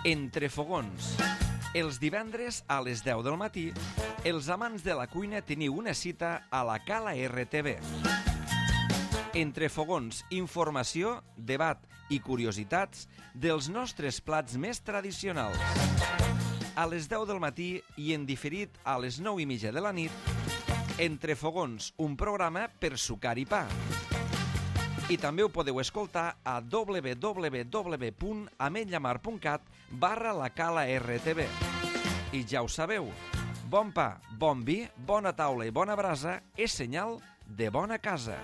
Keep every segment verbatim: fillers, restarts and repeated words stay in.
Entre fogons. Els divendres a les deu del matí, els amants de la cuina teniu una cita a la Cala R T V. Entre fogons, informació, debat i curiositats dels nostres plats més tradicionals. A les deu del matí i en diferit a les nou i mitja de la nit, Entre fogons, un programa per sucar i pa. I també ho podeu escoltar a www.ametllamar.cat barra la Cala R T V. I ja ho sabeu, bon pa, bon vi, bona taula i bona brasa és senyal de bona casa.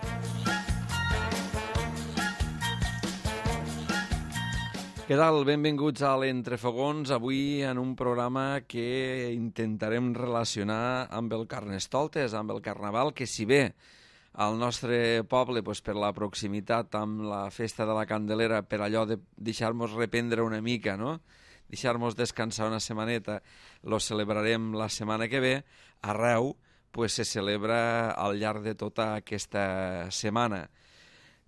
Què tal? Benvinguts a l'Entrefogons, avui en un programa que intentarem relacionar amb el Carnestoltes, amb el Carnaval, que si bé al nostre poble, doncs, per la proximitat amb la festa de la Candelera, per allò de deixar-nos reprendre una mica, no? Deixar-nos descansar una setmaneta, lo celebrarem la setmana que ve, arreu pues, se celebra al llarg de tota aquesta setmana.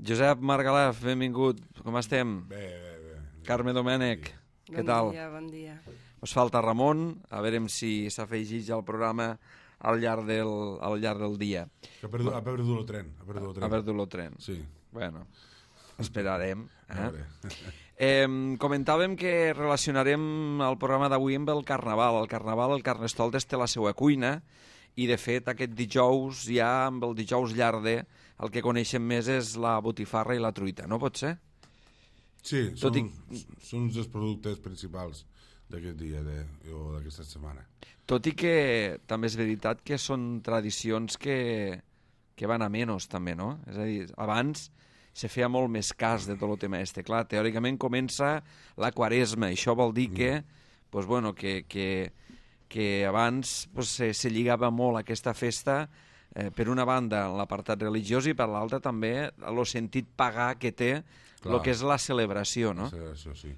Josep Margalef, benvingut, com estem? Bé, bé, bé. Carme Domènec, sí. Què tal? Bon dia, bon dia. Us falta Ramon, a veure si s'afegeix al programa al llarg del, al llarg del dia. Ha perdut, ha perdut el tren. Ha perdut el tren. Ha perdut el tren. Sí. Bueno, esperarem. Eh? Eh, eh, comentàvem que relacionarem el programa d'avui amb el Carnaval. El Carnaval, el Carnestoltes té la seva cuina i, de fet, aquest dijous, ja amb el dijous llarder, el que coneixem més és la botifarra i la truita, no pot ser? Sí, són, i... són uns dels productes principals d'aquest dia de, o d'aquesta setmana. Tot i que també és veritat que són tradicions que, que van a menys, també, no? És a dir, abans se feia molt més cas de tot el tema este. Clar, teòricament comença la Quaresma, i això vol dir que, mm. pues, bueno, que, que, que abans pues, se, se lligava molt a aquesta festa, eh, per una banda l'apartat religiós i per l'altra també el sentit pagà que té el que és la celebració, no? La celebració, sí.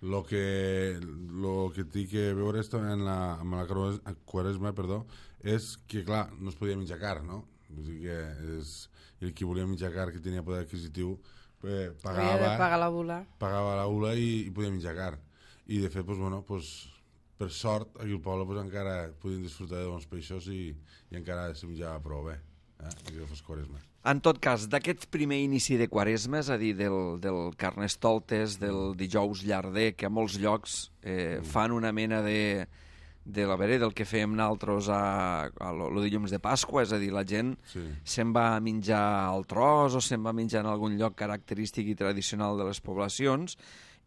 Lo que, lo que té que veure en la, amb la Quaresma, perdó, és que, clar, no es podia menjar carn, no? Vull dir que és, el qui volia menjar carn, que tenia poder adquisitiu, eh, pagava, Havia de pagar la bula. Pagava la bula i, i podia menjar carn. I, de fet, pues, bueno, pues, per sort, aquí al poble pues, encara podien disfrutar de bons peixos i, i encara se menjava prou bé, eh? Que fos Quaresma. En tot cas, d'aquest primer inici de Quaresma, és a dir, del, del Carnestoltes, del dijous llarder, que a molts llocs eh, mm. fan una mena de, de la veure, del que fèiem nosaltres a, a lo, lo dilluns de Pasqua, és a dir, la gent sí. se'n va a menjar al tros o se'n va a menjar en algun lloc característic i tradicional de les poblacions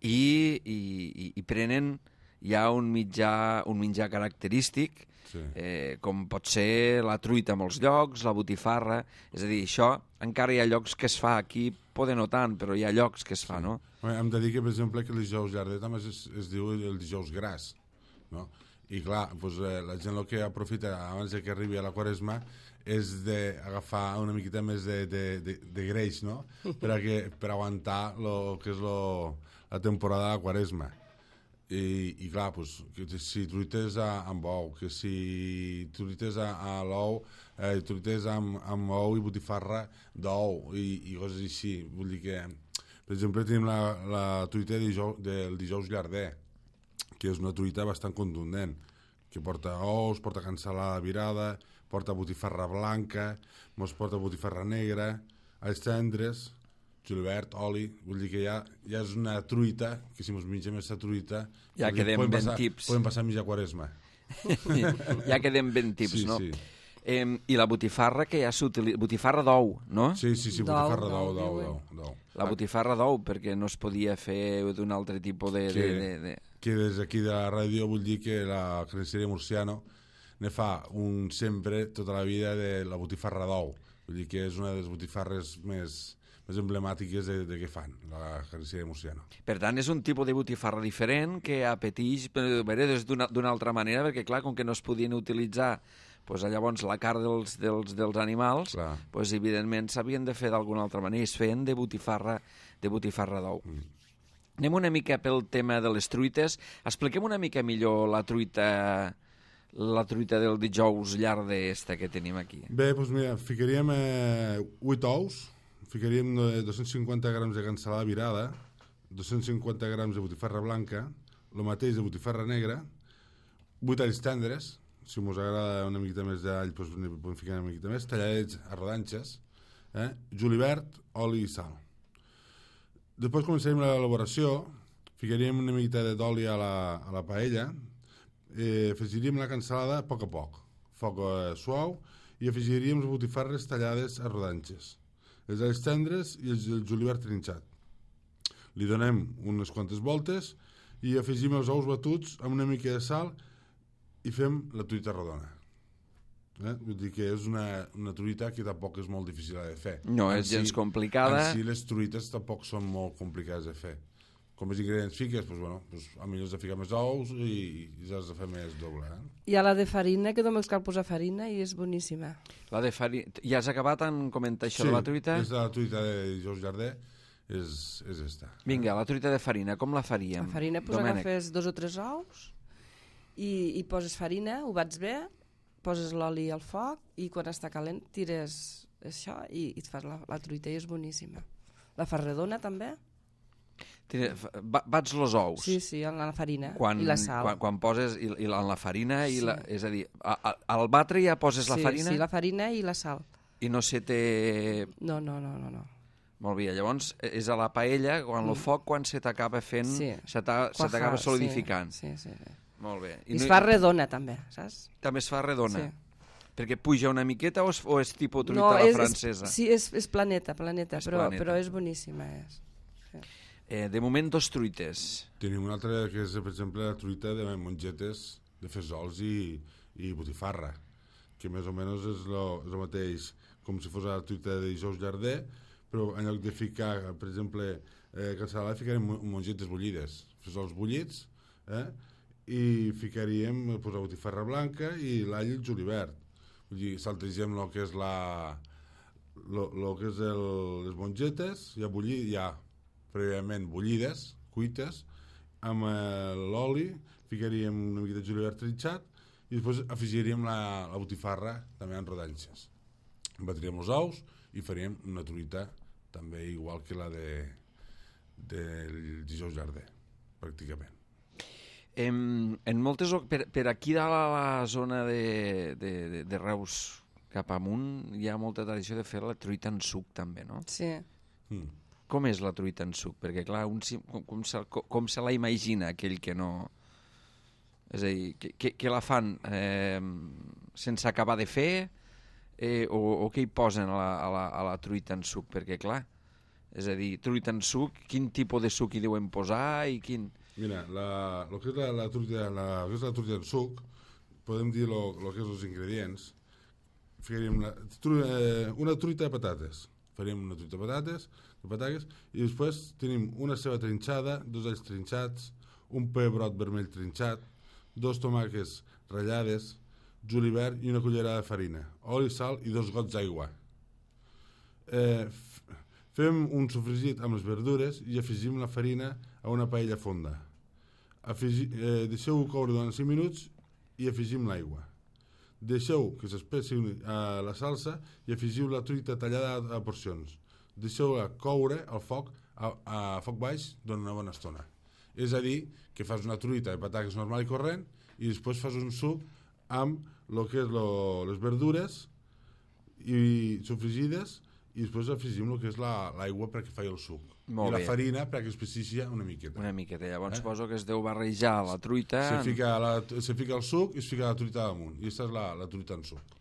i, i, i, i prenen ja un mitjà, un menjar característic, sí. eh, com pot ser la truita a molts llocs, la botifarra, és a dir, això encara hi ha llocs que es fa, aquí poden no tant, però hi ha llocs que es fa, sí. no? Hem de dir que, per exemple, que el dijous llarder també es, es diu el dijous gras, no? I clar, doncs, eh, la gent el que aprofita abans de que arribi a la Quaresma és d'agafar una miqueta més de, de, de, de greix, no? Per, a que, per aguantar lo que és lo, la temporada de la Quaresma. I, i clar, pues, que si truites a, amb ou, que si truites a, a l'ou, eh, truites amb, amb ou i botifarra d'ou i, i coses així. Vull dir que, per exemple, tenim la, la truita de dijous, del dijous llarder, que és una truita bastant contundent, que porta ous, porta cansalada virada, porta botifarra blanca, mos porta botifarra negra, alls tendres, julivert, oli, vull dir que ja, ja és una truita, que si mos mengem aquesta truita ja quedem ben passar, tips. Podem passar a mitja Quaresma. Ja quedem ben tips, sí, no? Sí. Eh, I la botifarra que ja s'utilitza... Botifarra d'ou, no? Sí, sí, sí, botifarra d'ou, d'ou, d'ou, d'ou. La botifarra d'ou, perquè no es podia fer d'un altre tipus de... Que, de, de, de... que des d'aquí de la ràdio vull dir que la carnisseria Murciano ne fa un sempre, tota la vida, de la botifarra d'ou. Vull dir que és una de les botifarres més... més emblemàtiques de, de què fan, la carnisseria Murciano. Per tant, és un tipus de botifarra diferent que apeteix d'una altra manera, perquè, clar, com que no es podien utilitzar pues, llavors la carn dels, dels, dels animals, pues, evidentment s'havien de fer d'alguna altra manera, es feien de botifarra de botifarra d'ou. Mm. Anem una mica pel tema de les truites. Expliquem una mica millor la truita la truita del dijous llarder esta que tenim aquí. Bé, doncs mira, ficaríem eh, vuit ous, ficaríem dos-cents cinquanta grams de cansalada virada, dos-cents cinquanta grams de botifarra blanca, el mateix de botifarra negra, vuit alls tendres, si us agrada una miqueta més d'all, doncs podem ficar una miqueta més, talladets a rodanxes, eh? julivert, oli i sal. Després començarem l'elaboració, ficaríem una miqueta d'oli a, la, a la paella, eh, afegiríem la cansalada a poc a poc, foc eh, suau, i afegiríem les botifarres tallades a rodanxes, els alls tendres i el, el julivert trinxat. Li donem unes quantes voltes i afegim els ous batuts amb una mica de sal i fem la truita rodona. Eh? Vull dir que és una, una truita que tampoc és molt difícil de fer. No és gens complicada. En si les truites tampoc són molt complicades de fer. Com els ingredients fiques, doncs, bueno, doncs, a millor has de ficar més ous i, i has de fer més doble. Eh? Hi ha la de farina, que només cal posar farina i és boníssima. La de farina... Ja has acabat en comentar això sí, de la truita? Sí, és la truita de Dijous Jardí, és, és esta. Vinga, la truita de farina, com la faríem? La farina, doncs Domènec. agafes dos o tres ous i, i poses farina, ho bats bé, poses l'oli al foc i quan està calent tires això i, i et fas la, la truita i és boníssima. La fas redona també? Tira, bats els ous. Sí, sí, en la farina quan, i la sal. Quan, quan poses i, i la, en la farina, sí. i la, és a dir, a, a, al batre ja poses sí, la farina? Sí, la farina i la sal. I no se té... No, no, no, no. no. Molt bé, llavors és a la paella, quan mm. el foc, quan se t'acaba fent, sí. se t'acaba solidificant. Sí, sí, sí. Molt bé. I, I es no... fa redona també, saps? També es fa redona? Sí. Perquè puja una miqueta o és, o és tipus truita no, a la és, francesa? És, sí, és, és planeta, planeta, és però, planeta. Però és boníssima. És. Sí. Eh, de moment, dos truites. Tenim una altra que és, per exemple, la truita de mongetes de fesols i, i botifarra, que més o menys és el mateix com si fos la truita de Dijous Jardí, però en lloc de ficar, per exemple, eh, cansalada, ficarem mongetes bullides, fesols bullits, eh? i ficaríem pues, la botifarra blanca i l'all i el julivert. Vull dir, saltegem el que és la lo, lo que és el, les mongetes, ja bullir, ja prèviament bullides, cuites, amb eh, l'oli, ficaríem una mica de julivert trinxat i després afegiríem la, la botifarra també en rodanxes. Batríem els ous i faríem una truita també igual que la de del Dijous Jardí, pràcticament. En, en moltes, per, per aquí dalt a la zona de, de, de, de Reus cap amunt hi ha molta tradició de fer la truita en suc també, no? Sí. Mm. Com és la truita en suc? Perquè, clar, un, com, com, se, com se la imagina aquell que no... És a dir, que, que, que la fan eh, sense acabar de fer eh, o, o què hi posen a la, a, la, a la truita en suc? Perquè, clar, és a dir, truita en suc, quin tipus de suc hi deuen posar i quin... Mira, la, lo que és la, la, truita, la, que és la truita en suc, podem dir lo, lo que és els ingredients. Ficaríem la, tru, eh, una truita de patates. Faríem una truita de patates, de patates, i després tenim una ceba trinxada, dos alls trinxats, un pebrot vermell trinxat, dos tomàquets ratllades, julivert i una cullerada de farina, oli, sal i dos gots d'aigua. Eh, fem un sofregit amb les verdures i afegim la farina a una paella fonda. Afegi, eh, deixeu-ho coure durant cinc minuts i afegim l'aigua. Deixeu que s'espessi eh, la salsa i afegiu la truita tallada a, a porcions. Deixeu-la coure al foc a, a foc baix durant una bona estona. És a dir, que fas una truita de patates normal i corrent i després fas un suc amb lo que és lo, les verdures i sofregides i després afegim el que és l'aigua la, perquè faci el suc. Molt I la bé. farina perquè especificia una miqueta. Una miqueta. Llavors eh? poso que es deu barrejar la truita... Se fica, la, se fica el suc i es fica la truita damunt. I aquesta és la, la truita en suc.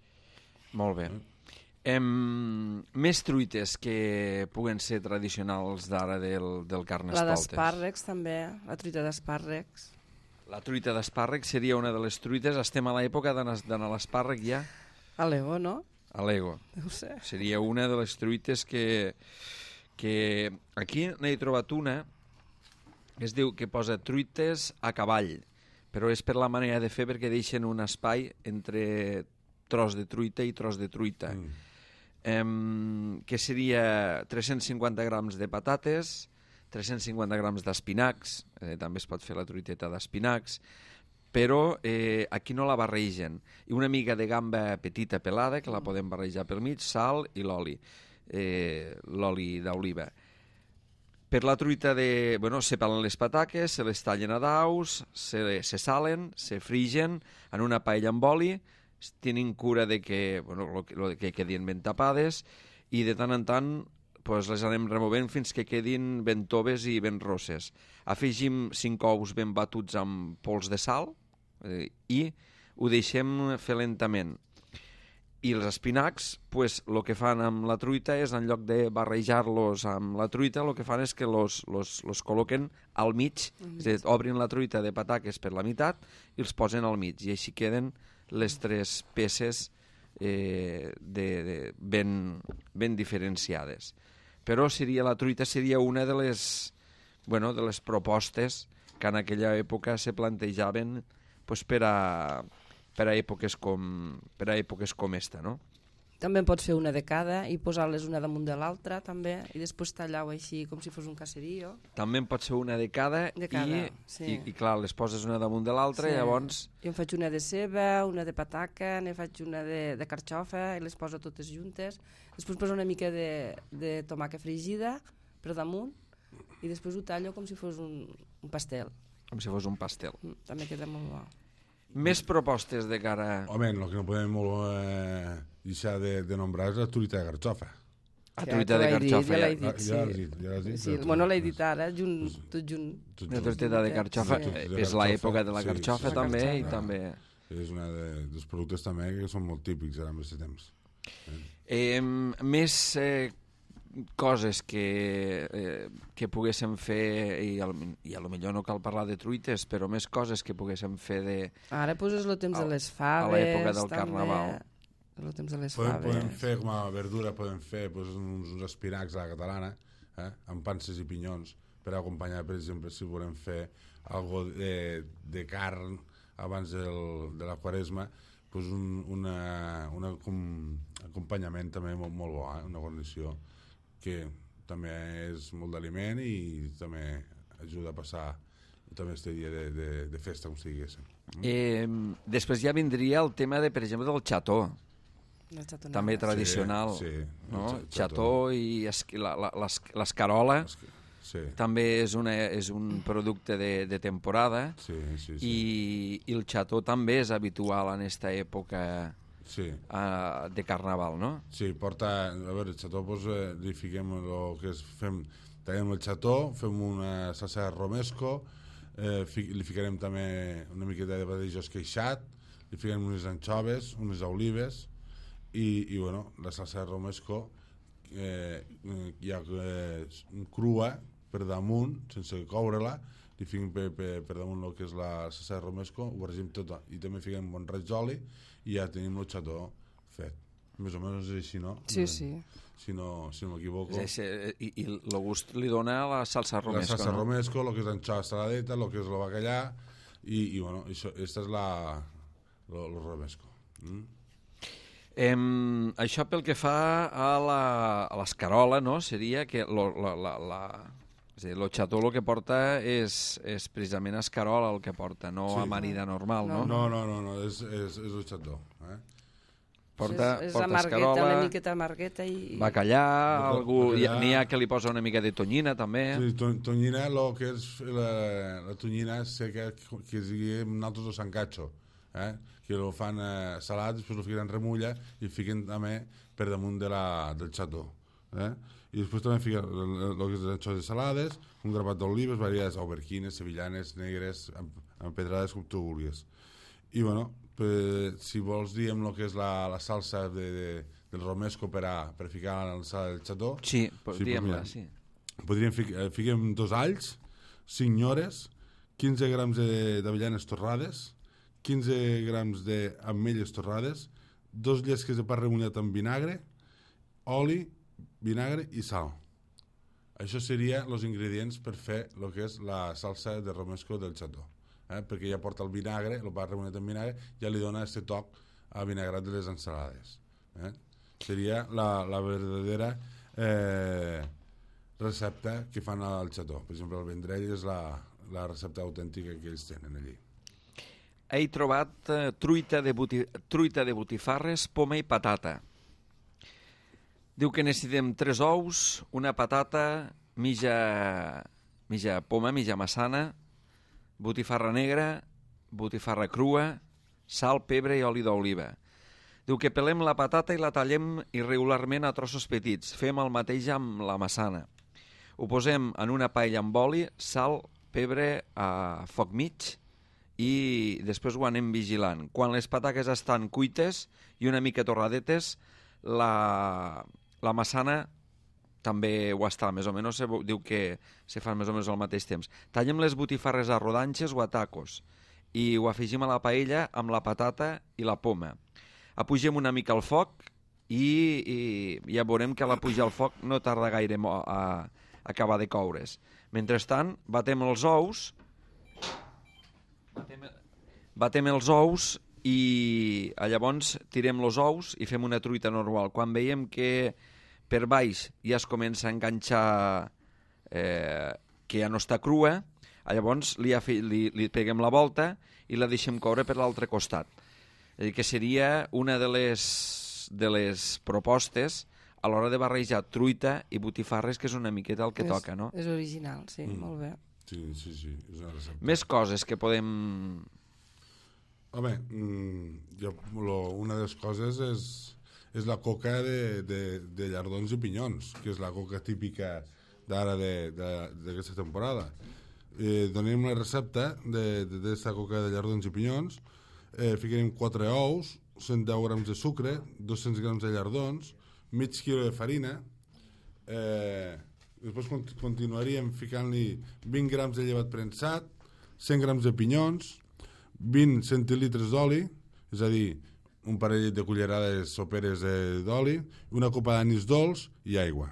Molt bé. Eh? Em, més truites que puguen ser tradicionals d'ara del, del Carnestoltes. La d'espàrrecs també, la truita d'espàrrecs. La truita d'espàrrec seria una de les truites. Estem a l'època d'anar a l'espàrrec ja? A l'Ego, no? A l'Ego. No ho sé. Seria una de les truites que... que aquí n'he trobat una que es diu que posa truites a cavall, però és per la manera de fer perquè deixen un espai entre tros de truita i tros de truita. Mm. Um, que seria tres-cents cinquanta grams de patates, tres-cents cinquanta grams d'espinacs, eh, també es pot fer la truiteta d'espinacs, però eh, aquí no la barregen. I una mica de gamba petita pelada, que la podem barrejar pel mig, sal i l'oli. Eh, l'oli d'oliva. Per la truita de... Bueno, se pelen les pataques, se les tallen a daus, se, se salen, se frigen en una paella amb oli, tenen cura de que, bueno, lo, lo que quedin ben tapades i de tant en tant pues, les anem removent fins que quedin ben toves i ben rosses. Afegim cinc ous ben batuts amb pols de sal eh, i ho deixem fer lentament. I els espinacs, pues, el que fan amb la truita és, en lloc de barrejar-los amb la truita, el que fan és que los, los, los col·loquen al mig, mm. és a dir, obrin la truita de pataques per la meitat i els posen al mig, i així queden les tres peces eh, de, de ben, ben diferenciades. Però seria, la truita seria una de les, bueno, de les propostes que en aquella època se plantejaven pues, per a... per a èpoques com, per a èpoques com esta, no? També en pots fer una de cada i posar-les una damunt de l'altra, també, i després tallar-ho així com si fos un caserío. També en pots fer una de cada, de cada i, sí. i, i, clar, les poses una damunt de l'altra sí. i llavors... Jo en faig una de ceba, una de pataca, ne faig una de, de carxofa i les poso totes juntes. Després poso una mica de, de tomàquet fregida per damunt i després ho tallo com si fos un, un pastel. Com si fos un pastel. Mm, també queda molt bo. Més propostes de cara... Home, el que no podem molt, eh, deixar de, de nombrar és la truita de carxofa. La truita de carxofa, ja. ja. Dit, ja sí. Ja l'has dit, ja l'has dit. Sí, bueno, l'he dit ara, junt, tot junt. La truita de carxofa Sí. és l'època de la Sí, carxofa sí, també, carxofa. i també... És un de, dels productes també que són molt típics ara en aquest temps. Eh, més eh, coses que, eh, que poguéssim fer, i, al, i a lo millor no cal parlar de truites, però més coses que poguéssim fer de... Ara poses el temps a, de les faves, a l'època del també. Carnaval. El temps de les Podem, faves. podem fer com a verdura, podem fer pues, uns, uns espinacs a la catalana, eh, amb panses i pinyons, per acompanyar, per exemple, si volem fer algo de, de carn abans del, de la quaresma, pues un una, una com, acompanyament també molt, molt bo, eh, una condició que també és molt d'aliment i també ajuda a passar també este dia de, de, de festa, com si diguéssim. Eh, després ja vindria el tema, de, per exemple, del xató, també tradicional. Sí, sí, no? el Xató i es, la, la, l'escarola sí. també és, una, és un producte de, de temporada, sí, sí, sí. I, i el xató també és habitual en aquesta època sí. uh, de Carnaval, no? Sí, porta... A veure, el xató, doncs, eh, li fiquem el que és... Fem, tallem el xató, fem una salsa de romesco, eh, fi, li ficarem també una miqueta de patata esqueixat, li ficarem unes anxoves, unes olives, i, i bueno, la salsa de romesco eh, ja eh, crua per damunt, sense coure-la, li fiquem per, per, per damunt el que és la salsa de romesco, ho barregem tot, i també fiquem un bon raig d'oli, i ja tenim el xató fet. Més o menys és així, no? Sí, sí. Si no, si no m'equivoco. Sí, sí, I el gust li dona la salsa romesco, la salsa no? romesco, el que és l'anxova saladeta, el que és el bacallà, i, i bueno, això, esta és la el romesco. Mm? Em, això pel que fa a la, a l'escarola, no? Seria que lo, la, la, la, és a dir, el xató el que porta és, és precisament escarola el que porta, no sí. amanida normal, no? No, no, no, no és, és, és el xató. Eh? Porta, és, és porta amargueta, escarola, una miqueta amargueta i... bacallà, algú, bacallà. N'hi ha que li posa una mica de tonyina també. Sí, to, tonyina, lo que és la, la tonyina seca que es diguem nosaltres el sancacho, eh? Que lo fan eh, salat, després lo fiquen en remulla i fiquen també per damunt de la, del xató. Eh? I després també fiquen el que és les anxoves salades, un grapat d'olives, variades auberquines, sevillanes, negres, empedrades com tu vulguis. I bueno, per, si vols diem el que és la, la salsa de, de, del romesco per a per ficar en la sala del xató. Sí, sí diem-la, sí. Podríem ficar, fiquem dos alls, cinc nyores, quinze grams d'avellanes torrades, quinze grams d'ametlles torrades, dos llesques de pa remullat amb vinagre, oli, vinagre i sal. Això serien els ingredients per fer el que és la salsa de romesco del xató. Eh? Perquè ja porta el vinagre, el pa remullat amb vinagre, ja li dona aquest toc a vinagrat de les ensalades. Eh? Seria la, la verdadera eh, recepta que fan al xató. Per exemple, el vendrell és la, la recepta autèntica que ells tenen allí. He trobat uh, truita, de buti... truita de botifarres, poma i patata. Diu que necessitem tres ous, una patata, mitja, mitja poma, mitja massana, botifarra negra, botifarra crua, sal, pebre i oli d'oliva. Diu que pelem la patata i la tallem irregularment a trossos petits. Fem el mateix amb la massana. Ho posem en una paella amb oli, sal, pebre a foc mig i després ho anem vigilant. Quan les patates estan cuites i una mica torradetes, la, la massana també ho està, més o menys se diu que se fan més o menys al mateix temps. Tallem les botifarres a rodanxes o a tacos i ho afegim a la paella amb la patata i la poma. Apugem una mica el foc i, i ja veurem que a la pujar al foc no tarda gaire a, a acabar de coure's. Mentrestant, batem els ous, batem, batem els ous i llavors tirem els ous i fem una truita normal. Quan veiem que per baix ja es comença a enganxar eh, que ja no està crua, llavors li, li, li peguem la volta i la deixem coure per l'altre costat. És a dir, que seria una de les, de les propostes a l'hora de barrejar truita i botifarres, que és una miqueta el que és, toca, no? És original, sí, mm. molt bé. Sí, sí, sí, és una recepta. Més coses que podem... Home, mmm, jo, lo, una de les coses és, és la coca de, de, de llardons i pinyons, que és la coca típica d'ara d'aquesta temporada. Eh, donem la recepta d'aquesta coca de llardons i pinyons, eh, ficarem quatre ous, cent deu grams de sucre, dos-cents grams de llardons, mig quilo de farina, eh, després continuaríem ficant-li vint grams de llevat premsat, cent grams de pinyons, vint centilitres d'oli, és a dir, un parell de cullerades soperes d'oli, una copa d'anís dolç i aigua.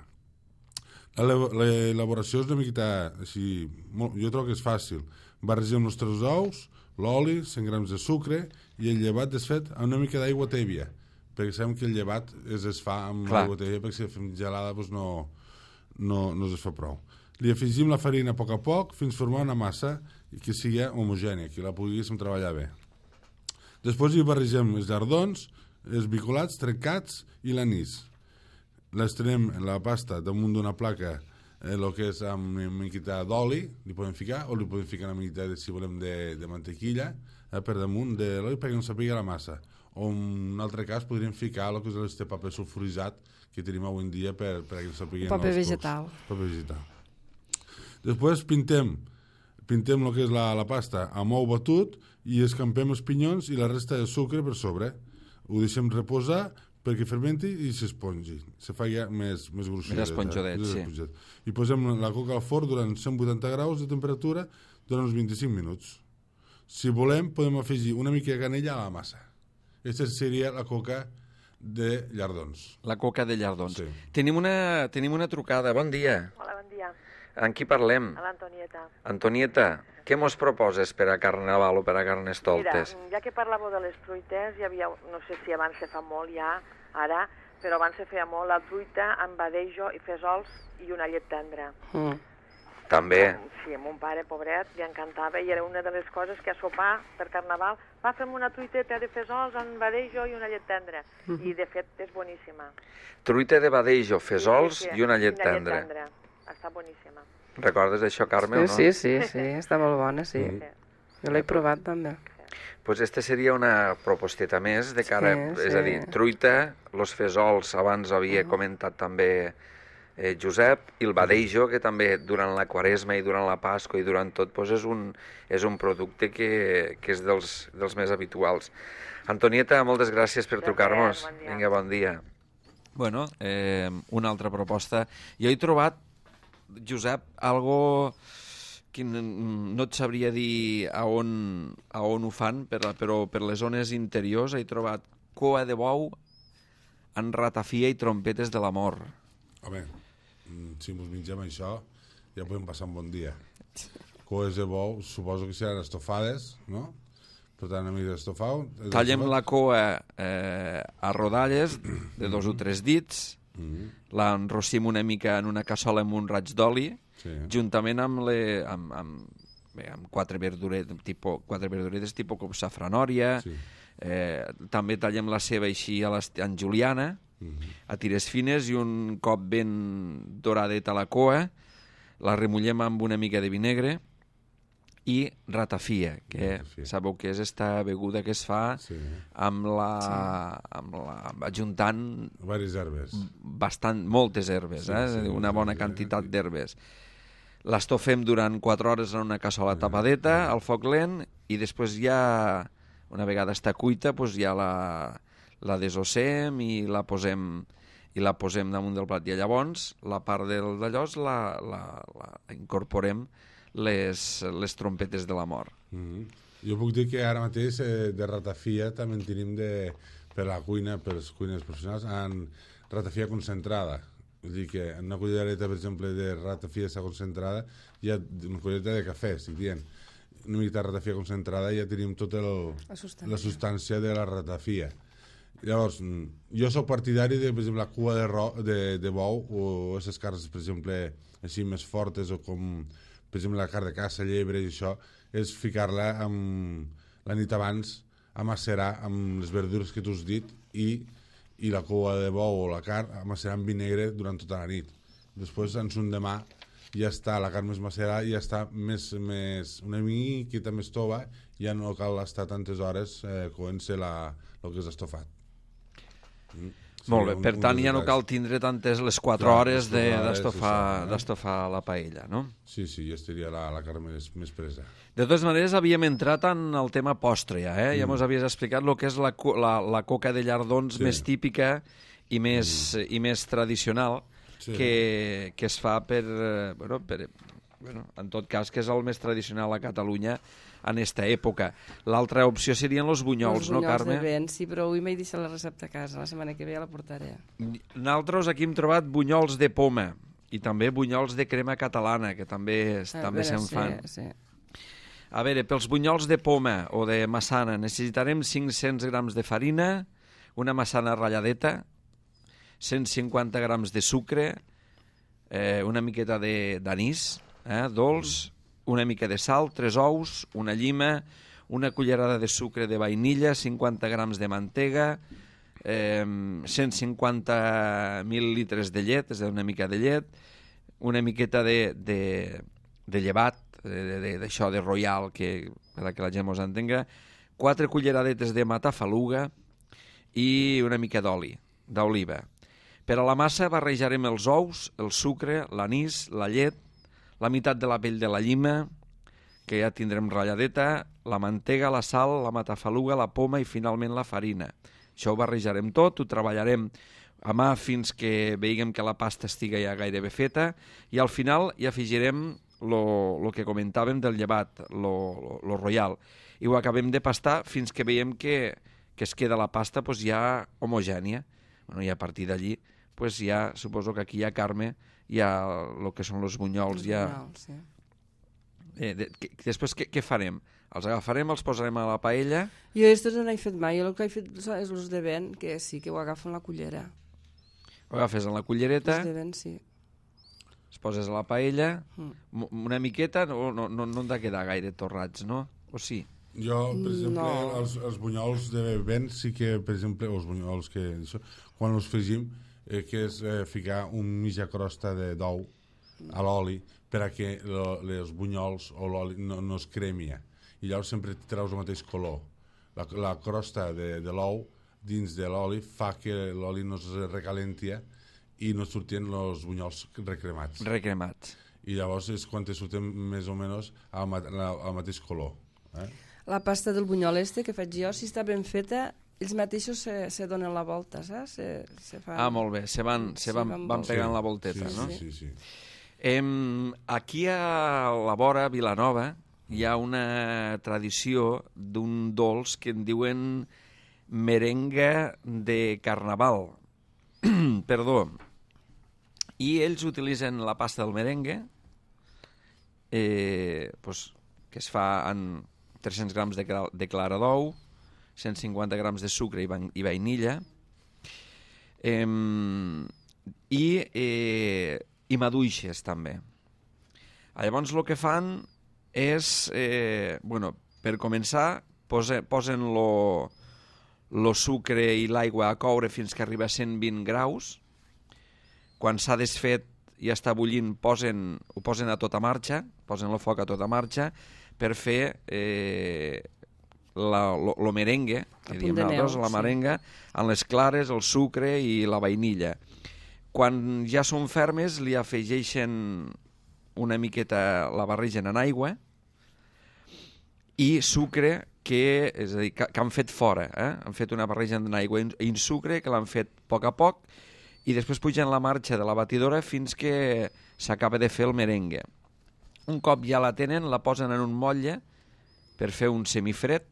L'elaboració és una miqueta així, molt, jo trobo que és fàcil. Barregem els tres ous, l'oli, cent grams de sucre i el llevat desfet amb una mica d'aigua tèbia, perquè sabem que el llevat es desfà amb Clar. aigua tèbia, perquè si la fem gelada doncs no, no, no es fa prou. Li afegim la farina a poc a poc fins formar una massa que sigui homogènia, que la poguéssim treballar bé. Després hi barregem els llardons, els bicolats, trencats i l'anís. L'estrenem la pasta damunt d'una placa, eh, el que és amb una miqueta d'oli, li podem ficar, o li podem ficar una miqueta, de, si volem, de, de mantequilla, eh, per damunt de l'oli perquè no s'apiga la massa. O en un altre cas podríem ficar el que és el paper sulfuritzat que tenim avui en dia per, per que no s'apiguen els paper vegetal. Paper vegetal. Després pintem, pintem el que és la, la pasta amb ou batut i escampem els pinyons i la resta de sucre per sobre. Ho deixem reposar perquè fermenti i s'espongi, se fa ja més, més gruixudet. Més esponjodet, eh? sí. I posem la coca al forn durant cent vuitanta graus de temperatura durant uns vint-i-cinc minuts. Si volem, podem afegir una mica de canella a la massa. Aquesta seria la coca de llardons. La coca de llardons. Sí. Tenim una, tenim una trucada. Bon dia. Hola, bon dia. Amb qui parlem? A l'Antonieta. Antonieta, què mos proposes per a Carnaval o per a Carnestoltes? Mira, ja que parlàveu de les truites, hi havia, no sé si abans se fa molt ja, ara, però abans se feia molt la truita amb badejo i fesols i una llet tendra. Mm. També. Sí, a mon pare, pobret, li encantava i era una de les coses que a sopar per Carnaval va fem una truiteta de fesols amb badejo i una llet tendra. Mm -hmm. I, de fet, és boníssima. Truita de badejo, fesols sí, sí, i una llet una tendra. Llet tendra. Està boníssima. Recordes això, Carme, sí, o no? Sí, sí, sí, està molt bona, sí. sí. Jo l'he provat, també. Pues este seria una proposteta més de cara, sí, és sí. a dir, truita, los fesols, abans havia uh -huh. comentat també eh, Josep, i el badejo, que també durant la Quaresma i durant la Pasqua i durant tot, pues és, un, és un producte que, que és dels, dels més habituals. Antonieta, moltes gràcies per trucar-nos. Bon Vinga, bon dia. Bueno, eh, una altra proposta. Jo he trobat, Josep, algo que no et sabria dir a on, a on ho fan, però per les zones interiors he trobat coa de bou en ratafia i trompetes de l'amor. Home, si mos mengem això, ja podem passar un bon dia. Coes de bou, suposo que seran estofades, no? Per tant, a mi d'estofau... Tallem la coa eh, a rodalles de dos o tres dits, mm-hmm. l'enrossim una mica en una cassola amb un raig d'oli, sí. juntament amb, le, amb, amb, bé, amb quatre, verduretes, tipo, quatre verduretes tipus com safranòria, sí. eh, també tallem la ceba així a en juliana, mm-hmm. a tires fines i un cop ben doradet a la coa, la remullem amb una mica de vi negre i ratafia, que Ratafia. sabeu que és esta beguda que es fa Sí. amb la, amb la, ajuntant Varis herbes. bastant, moltes herbes, Sí, eh? sí, una bona sí, quantitat sí. d'herbes. L'estofem durant quatre hores en una cassola tapadeta, al foc lent, i després ja, una vegada està cuita, doncs ja la, la desossem i la posem i la posem damunt del plat. I llavors, la part del d'allòs la, la, la incorporem les, les trompetes de la mort. Mm -hmm. Jo puc dir que ara mateix eh, de ratafia també en tenim de, per la cuina, per les cuines professionals, en ratafia concentrada. Vull dir que en una cullereta, per exemple, de ratafia està concentrada, hi ha una cullereta de cafè, estic dient. Una mica de ratafia concentrada i ja tenim tota el, La substància. la substància de la ratafia. Llavors, jo sóc partidari de, per exemple, la cua de, ro, de, de bou o aquestes carns, per exemple, així més fortes o com, per exemple, la carn de caça, llebre i això, és ficar-la amb, la nit abans a macerar amb les verdures que tu has dit i, i la cua de bou o la carn a macerar amb vi negre durant tota la nit. Després, en son demà, ja està la carn més macerada i ja està més, més, una miqueta més tova, ja no cal estar tantes hores eh, coent-se la, el que és estofat. Mm. Molt bé, un- per un tant dels ja no detalls. cal tindre tantes les quatre Clar, hores les de- quatre hores, d'estofar això, eh? d'estofar la paella, no? Sí, sí, ja estaria la, la carn més, més presa. De totes maneres, havíem entrat en el tema postre, ja, eh? Ja Mm. mos havies explicat el que és la, co- la, la coca de llardons Sí. més típica i més, i més tradicional Sí. que, que es fa per, eh, bueno, per... Bueno, en tot cas, que és el més tradicional a Catalunya en esta època. L'altra opció serien els bunyols, Els no, bunyols Carme? de vent, sí, però avui m'he deixat la recepta a casa. La setmana que ve ja la portaré. Nosaltres aquí hem trobat bunyols de poma i també bunyols de crema catalana, que també, A també veure, se'n sí, fan. Sí. A veure, pels bunyols de poma o de massana necessitarem cinc-cents grams de farina, una massana ratlladeta, cent cinquanta grams de sucre, eh, una miqueta de- d'anís, eh, dolç, una mica de sal, tres ous, una llima, una cullerada de sucre de vainilla, cinquanta grams de mantega, eh, cent cinquanta mil·lilitres de llet, és a dir, una mica de llet, una miqueta de, de, de llevat, de- de- d'això de, de royal, que, per que la gent mos entenga, quatre culleradetes de matafaluga i una mica d'oli, d'oliva. Per a la massa barrejarem els ous, el sucre, l'anís, la llet, la meitat de la pell de la llima, que ja tindrem ratlladeta, la mantega, la sal, la matafaluga, la poma i finalment la farina. Això ho barrejarem tot, ho treballarem a mà fins que veiguem que la pasta estiga ja gairebé feta i al final hi afegirem el que comentàvem del llevat, lo royal, i ho acabem de pastar fins que veiem que, que es queda la pasta pues, ja homogènia. Bueno, I a partir d'allí pues, ja suposo que aquí ja, Carme, ja el que són els bunyols, ja... Bunyols, sí. Eh, de, que, després què, què farem? Els agafarem, els posarem a la paella... Jo aquests no n'he fet mai, jo el que he fet és els de vent, que sí, que ho agafo en la cullera. Ho agafes en la cullereta, Els de vent, sí. es poses a la paella, Mm. una miqueta, no, no, no, no han de quedar gaire torrats, no? O sí? Jo, per exemple, No. els, els bunyols de vent sí que, per exemple, els bunyols que... Això, quan els fregim, eh, que és eh, ficar un mitja crosta de d'ou a l'oli per a que lo, els bunyols o l'oli no, no es cremia. I llavors sempre treus el mateix color. La, la crosta de, de l'ou dins de l'oli fa que l'oli no es recalenti i no surten els bunyols recremats. Recremats. I llavors és quan te surten més o menys al, ma al mateix color. Eh? La pasta del bunyol este que faig jo, si està ben feta, ells mateixos se, se donen la volta, saps? Se, se fan... Ah, molt bé, se van, se Sí, van, van van voltar. pegant Sí, la volteta, sí, no? Sí, sí, sí. Em, aquí a la vora, a Vilanova, hi ha una tradició d'un dolç que en diuen merenga de carnaval. Perdó. I ells utilitzen la pasta del merengue, eh, pues, que es fa en tres-cents grams de, de clara d'ou, cent cinquanta grams de sucre i, i vainilla, eh, i, eh, i maduixes també. Llavors el que fan és, eh, bueno, per començar, pose, posen lo, lo sucre i l'aigua a coure fins que arriba a cent vint graus. Quan s'ha desfet ja està bullint, posen, ho posen a tota marxa, posen el foc a tota marxa per fer eh, la, lo, lo merengue, que diem nosaltres, la merenga, amb les clares, el sucre i la vainilla. Quan ja són fermes, li afegeixen una miqueta, la barregen en aigua i sucre que, és a dir, que, que han fet fora. Eh? Han fet una barreja en aigua i en sucre que l'han fet a poc a poc i després pugen la marxa de la batidora fins que s'acaba de fer el merengue. Un cop ja la tenen, la posen en un motlle per fer un semifred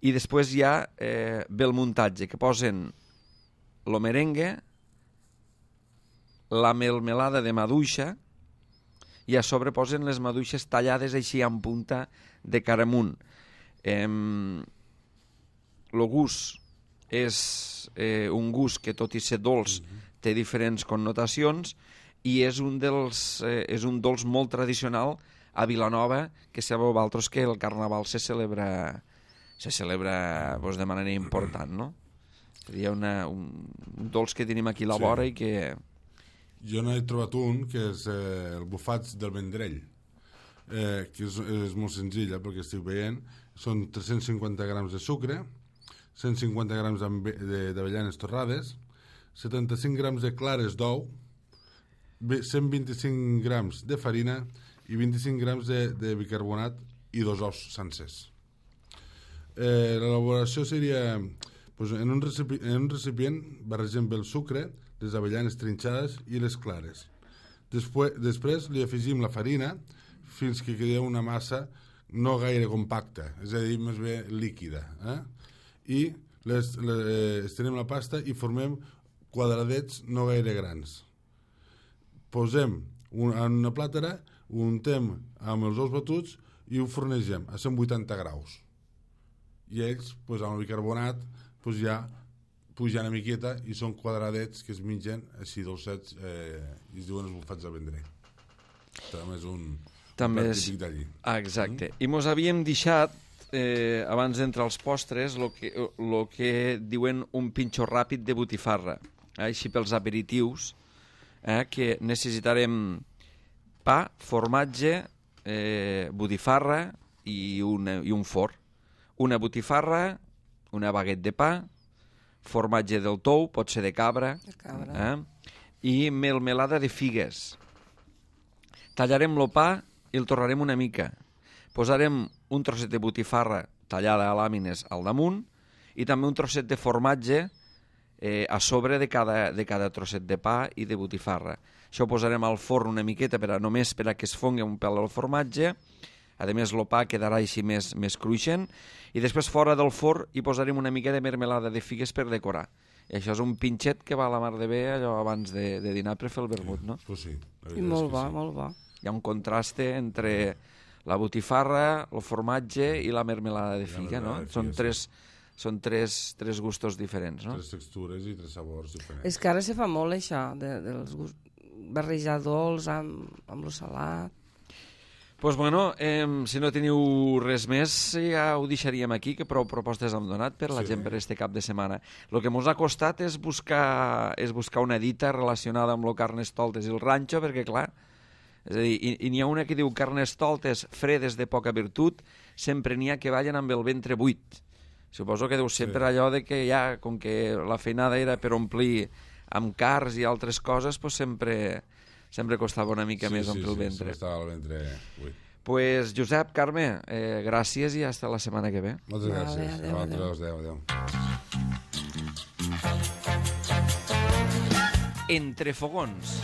i després ja eh, ve el muntatge, que posen el merengue, la melmelada de maduixa i a sobre posen les maduixes tallades així en punta de cara amunt. Eh, el gust és eh, un gust que, tot i ser dolç, mm-hmm. té diferents connotacions i és un, dels, eh, és un dolç molt tradicional a Vilanova, que sabeu vosaltres que el Carnaval se celebra, se celebra pues, de manera important, no? Seria una, un, un dolç que tenim aquí a la vora sí. i que... Jo n'he trobat un, que és eh, el bufats del Vendrell, eh, que és, és molt senzilla, perquè estic veient, són tres-cents cinquanta grams de sucre, cent cinquanta grams d'avellanes torrades, setanta-cinc grams de clares d'ou, cent vint-i-cinc grams de farina i vint-i-cinc grams de, de bicarbonat i dos ous sencers. Eh, L'elaboració seria... Pues en, un recipient, en un recipient barregem bé el sucre, les avellanes trinxades i les clares. Després, després li afegim la farina fins que quedi una massa no gaire compacta, és a dir, més bé líquida. Eh? I les, les, estenem la pasta i formem quadradets no gaire grans. Posem un, en una plàtera, ho untem amb els ous batuts i ho fornegem a cent vuitanta graus. I ells, pues, amb el bicarbonat, pues, ja pugen una miqueta i són quadradets que es mengen així dolcets eh, i es diuen els bufats de Vendrell. També és un, També un és... típic d'allí. Ah, exacte. Mm? I mos havíem deixat, eh, abans d'entrar als postres, el que, lo que diuen un pinxo ràpid de botifarra, eh, així pels aperitius, eh, que necessitarem pa, formatge, eh, botifarra i, una, i un forn. Una botifarra, una baguet de pa, formatge del tou, pot ser de cabra, de cabra. Eh? I melmelada de figues. Tallarem el pa i el torrarem una mica. Posarem un trosset de botifarra tallada a làmines al damunt i també un trosset de formatge eh, a sobre de cada, de cada trosset de pa i de botifarra. Això ho posarem al forn una miqueta per a, només per a que es fongui un pèl el formatge. A més, el pa quedarà així més, més cruixent. I després, fora del forn, hi posarem una mica de mermelada de figues per decorar. I això és un pinxet que va a la mar de bé allò abans de, de dinar per fer el vermut, no? Pues sí, I molt bo, sí. molt bo. Hi ha un contraste entre la botifarra, el formatge i la mermelada de figa, no? De figa, són tres, sí. són tres, tres gustos diferents, no? Tres textures i tres sabors diferents. És que ara se fa molt això, de, dels gust... barrejar dolç amb, amb lo salat. Pues bueno, eh, si no teniu res més, ja ho deixaríem aquí, que prou propostes hem donat per la sí. gent per este cap de setmana. El que ens ha costat és buscar, és buscar una dita relacionada amb el Carnestoltes i el ranxo, perquè clar, és a dir, i, i n'hi ha una que diu Carnestoltes fredes de poca virtut, sempre n'hi ha que ballen amb el ventre buit. Suposo que deu ser sí. per allò de que ja, com que la feinada era per omplir amb cars i altres coses, pues sempre... sempre costava una mica sí, més sí, omplir el sí, ventre. Sí, estava el ventre buit. Pues, Josep, Carme, eh, gràcies i fins la setmana que ve. Moltes vale, gràcies. Adéu, adéu. Adéu, adéu. Entre fogons.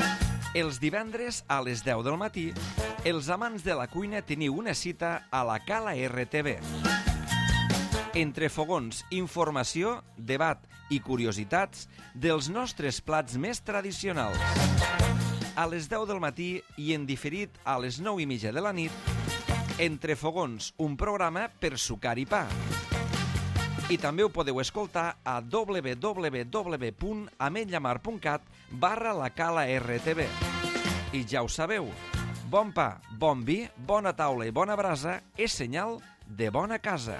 Els divendres a les deu del matí, els amants de la cuina teniu una cita a la Cala R T V. Entre fogons, informació, debat i curiositats dels nostres plats més tradicionals. A les deu del matí i en diferit a les nou i mitja de la nit, Entre fogons, un programa per sucar i pa. I també ho podeu escoltar a w w w punt ametlllamar punt cat barra la Cala R T V. I ja ho sabeu, bon pa, bon vi, bona taula i bona brasa és senyal de bona casa.